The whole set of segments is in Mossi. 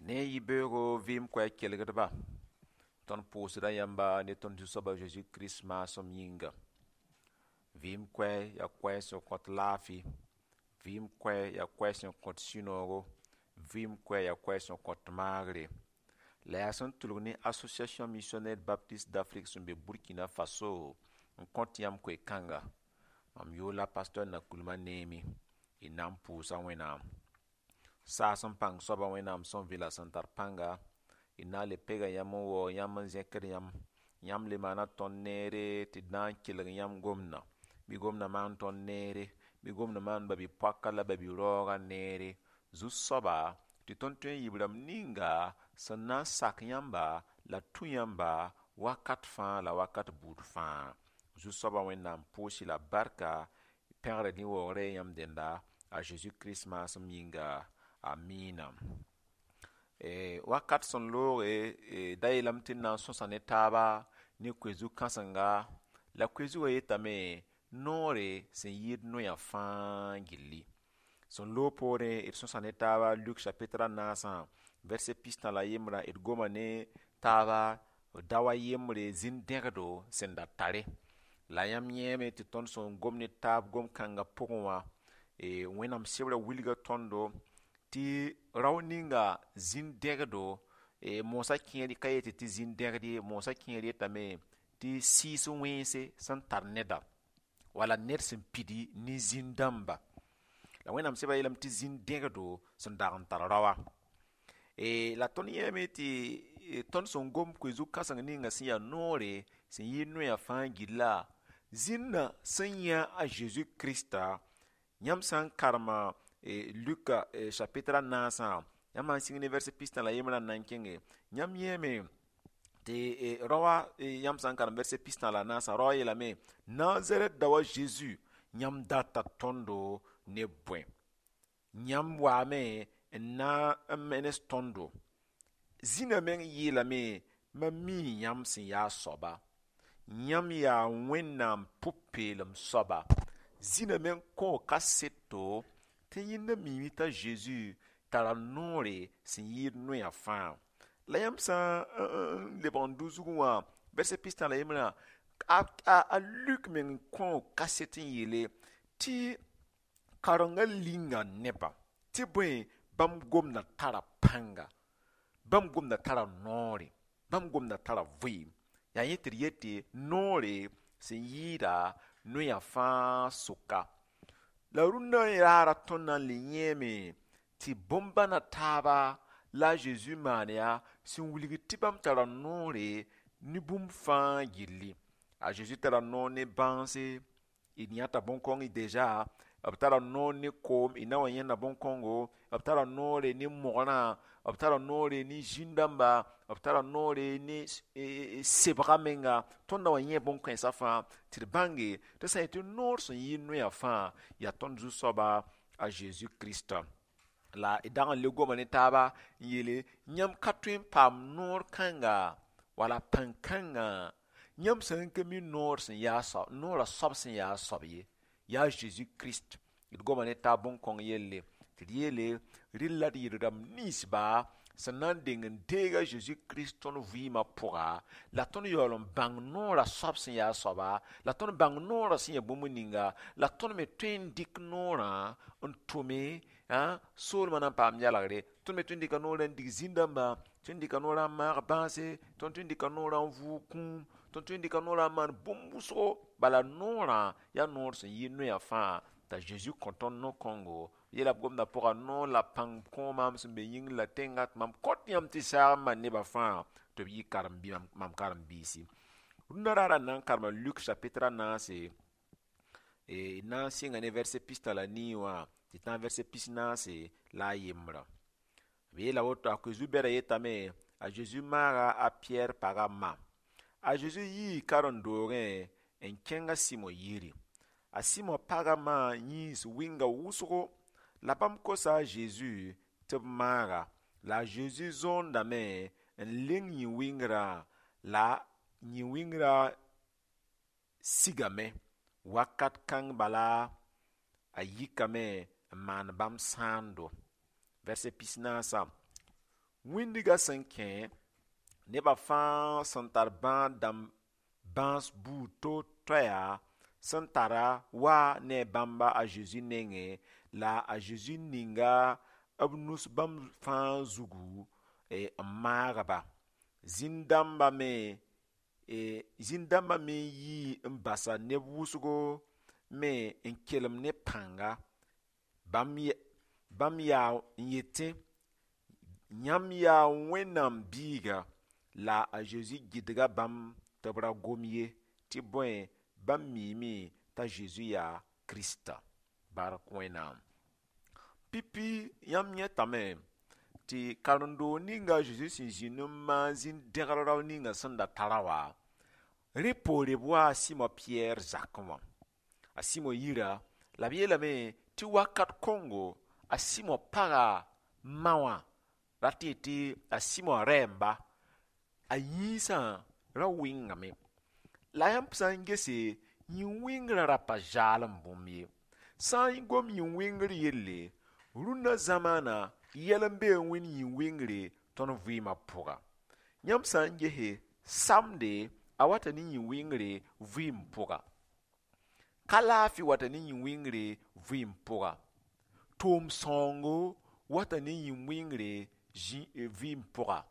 Ne yibeoogo vɩɩm koɛɛg kelgdba, tõnd pʋʋsda yãmba ne tõnd Zu-soab a Zeezi Kirist maasem yĩnga. Vɩɩm koɛɛg yaa koɛɛg sẽn kõt laafɩ, vɩɩm koɛɛg yaa koɛɛg sẽn kõt sũ-noogo, vɩɩm koɛɛg yaa koɛɛg sẽn kõt maagre. La yaa sẽn tʋlg ne Association Missionnaire Baptiste d'Afrique sẽn be Burkina Faso n kõt yãmb koe-kãnga. Mam yʋʋr la Pasteur Nakulma Neemi. Y na n pʋʋsa Wẽnnaam. Saas n pãng soaba Wẽnnaam sẽn vɩla sẽn tar pãnga, y na n le pega yãmb n waoog yãmb n zẽkd yãmb. Yãmb le maana tõnd neere tɩ d na n kelg yãmb gomdã. Bɩ gomdã maan tõnd neere, bɩ gomdã maan ba-bi-poaka la ba-bi-raoogã neere. Zu-soaba tɩ tõnd tõe n yɩ b rãmb ninga sẽn na n sak yãmba la tũ yãmba wakat fãa la wakat buud fãa. Zu-soabã Wẽnnaam pʋʋs-y la barka, pẽgr ne waoogrã yãmb dẽnda a Zeezi Kirist maasem yĩnga. Amiina. Wakat sẽn looge da yeelame tɩ d na n sõsa ne taaba ne koe-zug kãsenga la koe-zugã yetame noore sẽn yɩɩd noyã fãa gilli. Sẽn loog poorẽ d sõsa ne taaba Luk chapitre a naasã verset pistã la yembrã d goma ne taaba dao a yembre zĩn-dẽgdo sẽn da tare. La yãmb yẽeme tɩ tõnd sẽn gom ne taab gom-kãngã pʋgẽ wã Wẽnnaam sebrã wilga tõndo tɩ rao ninga zĩn-dẽgdo moosã kẽer ka yetɩ tɩ zĩn-dẽgd ye, moosã kẽer yetame tɩ sɩɩs wẽnse sẽn tar neda wala ned sẽn pidi ne zĩn-dãmba. La Wẽnnaam sebrã yeelame tɩ zĩn-dẽgdo sẽn dag n tar raoa. La tõnd yẽeme tɩ tõnd sẽn gom koe-zug kãseng ninga sẽn yaa noore sẽn yɩɩd noyã fãa gilla, zĩnã sẽn yã a Zeezi Krista, yãmb sã n karema Luka chapitre a naasã, yãmb sã n sĩng ne verset pistã la yembrã n na n kẽnge, yãmb yẽeme tɩ raoã yãmb sã n karem verset pistã la naasã, raoã yeelame Nazarɛt dao a Zeezi yãmb data tõndo ne bõe? Yãmb waame n na n menes tõndo. Zĩnã meng yeelame mam mii yãmb sẽn yaa soaba. Yãmb yaa Wẽnnaam pʋ-peelem soaba. Zĩnã meng kõo kaseto tɩ yẽnda miime t'a Zeezi tara noore sẽn yɩɩd noyã fãa. La yãmb sã n lebg n dʋ zugẽ wã verset pistã la yembrã, a Luk meng kõo kaset n yeele tɩ karengã linga nebã tɩ bõe bãmb gomdã tara pãnga, bãmb gomdã tara noore, bãmb gomdã tara vɩɩm. Yaa yẽ tɩ d yetɩ noore sẽn yɩɩda noyã fãa sʋka. La rũndã raara tõnd na n le yẽeme tɩ bõn-bãna taaba la a Zeezi maan yaa sẽn wilg tɩ bãmb tara noore ne bũmb fãa gilli. A Zeezi tara noor ne bãanse, d yãta bõn-kõng deja, b tara noor ne koom, y na wa yẽnda bõn-kõngo, b tara noore ne mogrã, b tara noore ne zĩn-dãmba, b tara noore ne sebga menga. Tõnd na wa yẽ bõn-kãensã fãa tɩ d bãnge tɩ sã n yetɩ noor sẽn yɩ noyã fãa yaa tõnd Zu-soaba a Zeezi Kirista. La d dag n le goma ne taaba n yeele yãmb ka tõe n paam noor kãnga wala pãn-kãngã yãmb sã n ka mi noor sẽn yaa soab, noorã soab sẽn yaa soab ye, yaa Zeezi Kirist. D goma ne taab bõn-kõng yelle tɩ d yeele rɩ la d yɩ rãmb ninsba sẽn na n deng n deeg a Zeezi Kirist tõnd vɩɩmã pʋga, la tõnd yaool n bãng noorã soab sẽn yaa soaba, la tõnd bãng noorã sẽn yaa bũmb ninga, la tõnd me tõe n dɩk noorã n tʋme soolmã na n paam yalgre. Tõnd me tõe n dɩka noorã n dig zĩn-dãmba, tõe n dɩka noorã n maag bãase, tõnd tõe n dɩka noorã n vʋʋg kũum, tõnd tõe n dɩka noorã n maan bũmb wʋsgo. Bala noorã yaa noor sẽn yɩ noyã fãa t'a Zeezi kõ tõnd no-kõngo. Yeela b gomdã pʋga noor la pãng kõ maam sẽn be yĩngr la tẽngã tɩ mam kõt yãmb tɩ saag n maan nebã fãa tɩ b yɩ karen-bi mam karen-biisi. Rũndã raara n na n karema Luk chapitre a naase, d na n sɩnga ne verset pistã la nii wã tɩ tã verset pis-naase la a yembrã. B yeela woto a koe-zu-bɛdã yetame a Zeezi maaga a Piyɛr pagã ma. A Zeezi yii karen-doogẽ n kẽng a Sɩmo yiri. A Sɩmo pagã ma yĩns wɩnga wʋsgo la bãmb kosa a Zeezi tɩ b maaga. La a Zeezi zõondame n leng yĩ-wɩngrã la yĩ-wɩngrã sigame. Wakat kãng bala a yikame n maan bãmb sãando. Verset pis-naasã. Wĩndgã sẽn kẽ, nebã fãa sẽn tar bãad-dãmb bãas buud to-toɛa sẽn tara wa ne bãmba a Zezi nengẽ, la a Zezi ninga b nus bãmb fãa zugu n maag-ba. Zĩn-dãmbã me yii n basa neb wʋsgo me n kelem ne pãnga. Bãmb yaa n yetẽ: yãmb yaa Wẽnnaam biiga. La a Zezi gɩdga bãmb tɩ b ra gom ye, tɩ bõe, bãmb miime t'a Zezi yaa Kirista. Bark Wẽnnaam. Pipi yãmb yẽtame tɩ karen-doog ninga a Zezi sẽn zĩnd n maan zĩn-dẽgr rao ninga sẽn da tara wã, rẽ poore b waa a Sɩmo Pɩyɛɛr zakẽ wã. A Sɩmo yira, la b yeelame tɩ wakat kõngo a Sɩmo paga ma wã rat n yetɩ a Sɩmo rɛɛmba, a yĩnsã ra wɩngame. La yãmb sã n gese, yĩn-wɩngrã ra pa zaalem bũmb ye. Sã n gom yĩn-wɩngr yelle, rũnna zamaana yɛl n bee n wẽnd yĩn-wɩngre tõnd vɩɩmã pʋga. Yãmb sã n gese, samde a wata ne yĩn-wɩngre vɩɩm pʋga. Ka laafɩ wata ne yĩn-wɩngre vɩɩm pʋga. Tʋʋm sãoongo wata ne yĩn-wɩngre vɩɩm pʋga.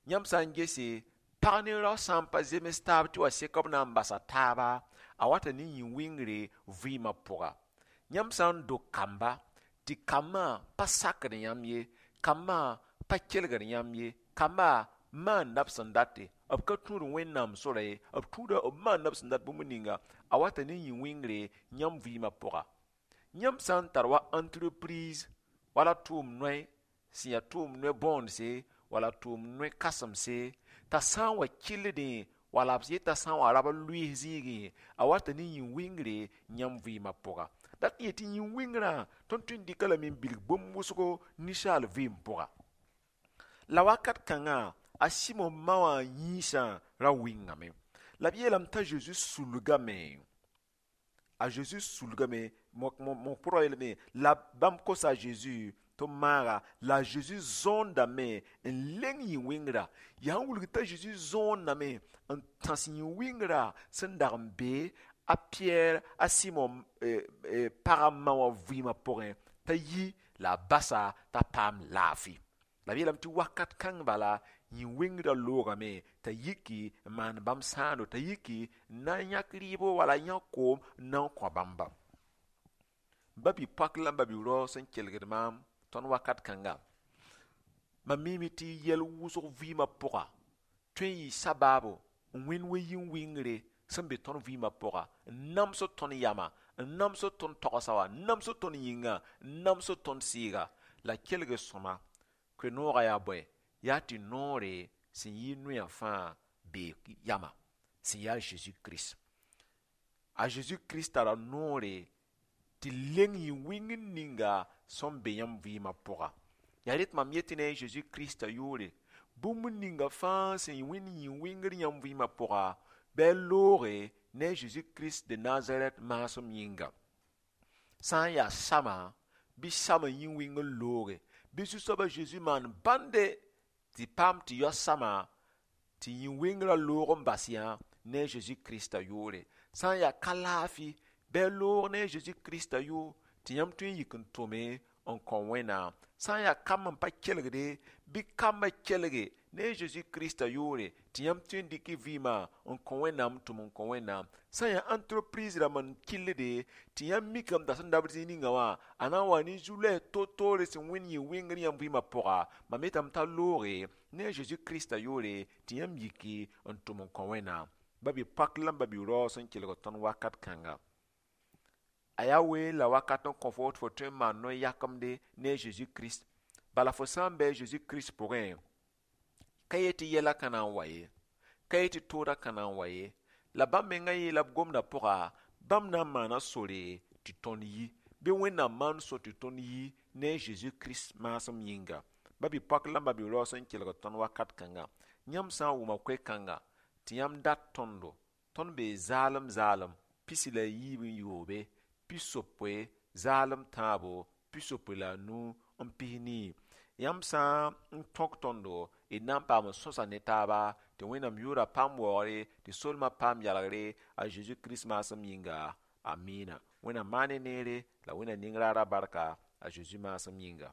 Yãmb sã n gese, pag ne rao sã n pa zems taab tɩ wa sek b na n basa taaba, a wata ne yĩn-wɩngre vɩɩmã pʋga. Yãmb sã n dog kamba, tɩ kambã pa sakd yãmb ye, kambã pa kelgd yãmb ye, kambã maanda b sẽn date, b ka tũud Wẽnnaam sora ye, b tũuda b maanda b sẽn dat bũmb ninga, a wata ne yĩn-wɩngre yãmb vɩɩmã pʋga. Yãmb sã n tar wa entreprise wala tʋʋm noe sẽn yaa tʋʋm noe bõondse wala tʋʋm noe kãsemse, t'a sã n wa kɩlldẽ wala b yeta sã n wa rab n lʋɩɩs zĩigẽ, a wata ne yĩn-wɩngre yãmb vɩɩmã pʋga. Dat n yetɩ yĩn-wɩngrã tõnd tõe n dɩka lame n bilg bũmb wʋsgo ninsaal vɩɩm pʋga. La wakat kãngã a Sɩmo ma wã yĩnsã ra wɩngame. La b yeelame t'a Zezi sulgame. A Zezi sulgame, mo pʋrga yeelame, la bãmb kosa a Zezi tɩ b maaga, la a Zezi zõondame n leng yĩn-wɩngrã. Yaa n wilg t'a Zezi zõondame n tãs yĩn-wɩngrã sẽn dag n be a Pɩyɛɛr a Sɩmo pagã ma wã vɩɩmã pʋgẽ, t'a yi la a basa t'a paam laafɩ. La b yeelame tɩ wakat kãng bala yĩn-wɩngrã loogame t'a yiki n maan bãmb sãando, t'a yiki n na n yãk rɩɩbo wala yãk koom n na n kõ bãmba. Ba-bi-poak la ba-bi-rao sẽn kelgd maam tõnd wakat kãnga, mam miime tɩ yɛl wʋsg vɩɩmã pʋga tõe n yɩ sabaabo n wẽnd wa yĩn-wɩngre sẽn be tõnd vɩɩmã pʋga, n namsd tõnd yama, n namsd tõnd togsa wã, n namsd tõnd yĩnga, n namsd tõnd sɩɩga. La kelg sõma, koe-noogã yaa bõe? Yaa tɩ noore sẽn yɩ noyã fãa bee yama, sẽn yaa Zeezi Kirist. A Zeezi Kirist tara noore tɩ leng yĩn-wɩngr ninga sẽn be yãmb vɩɩmã pʋga. Yaa rẽ tɩ mam yetɩ ne a Zeezi Kiristã yʋʋre, bũmb ninga fãa sẽn wẽnd yĩn-wɩngr yãmb vɩɩmã pʋga, bɩ a looge ne a Zeezi Kirist de Nazarɛt maasem yĩnga. Sã n yaa sama, bɩ sama yĩn-wɩngr looge, bɩ Zu-soabã Zeezi maan bãnde tɩ paam tɩ yao sama tɩ yĩn-wɩngrã loog n bas yã ne a Zeezi Kiristã yʋʋre. Sã n yaa ka laafɩ, bɩ a loog ne a Zeezi Kiristã yʋʋr tɩ yãmb tõe n yik n tʋme n kõ Wẽnnaam. Sã n yaa kamb n pa kelgde, bɩ kambã kelge ne a Zeezi Kiristã yʋʋre tɩ yãmb tõe n dɩk y vɩɩmã n kõ Wẽnnaam tʋm n kõ Wẽnnaam. Sã n yaa entreprise rãmb n kɩllde tɩ yãmb mikame t'a sẽn dabd zĩig ninga wã, a na n wa ne zu-loɛɛs to-toore sẽn wẽnd yĩn-wɩngr yãmb vɩɩmã pʋga, mam yetame t'a looge ne a Zeezi Kiristã yʋʋre tɩ yãmb yiki n tʋm n kõ Wẽnnaam. Ba-bi-poak la ba-bi-rao sẽn kelg tõnd wakat kãnga. A yaa wee la wakat n kõ fo tɩ fo tõe n maan no-yakemde ne a Zeezi Kirist. Bala fo sã n bɩ a Zeezi Kirist pʋgẽ, ka yet tɩ yɛla ka na n wa ye, ka yet tɩ toodã ka na n wa ye, la bãmb mengã yeela b gomdã pʋga, bãmb na n maana sore tɩ tõnd yi, bɩ Wẽnnaam maan so tɩ tõnd yi ne a Zeezi Kirist maasem yĩnga. Ba-bi-poak la ba-bi-rao sẽn kelg tõnd wakat kãnga, yãmb sã n wʋma koe-kãnga tɩ yãmb dat tõndo, tõnd bee zaalem zaalem pisi la yiib n yoobe, pisopoe zaalem tãabo, pisopoe la a nu n pis nii. Yãmb sã n tõk tõndo, d na n paam n sõsa ne taaba, tɩ Wẽnnaam yʋʋra paam waoogre, tɩ solmã paam yalgre, a Zeezi Kirist maasem yĩnga. Amiina. Wẽnnaam maan ne neere la Wẽnnaam ning raara barka, a Zeezi maasem yĩnga.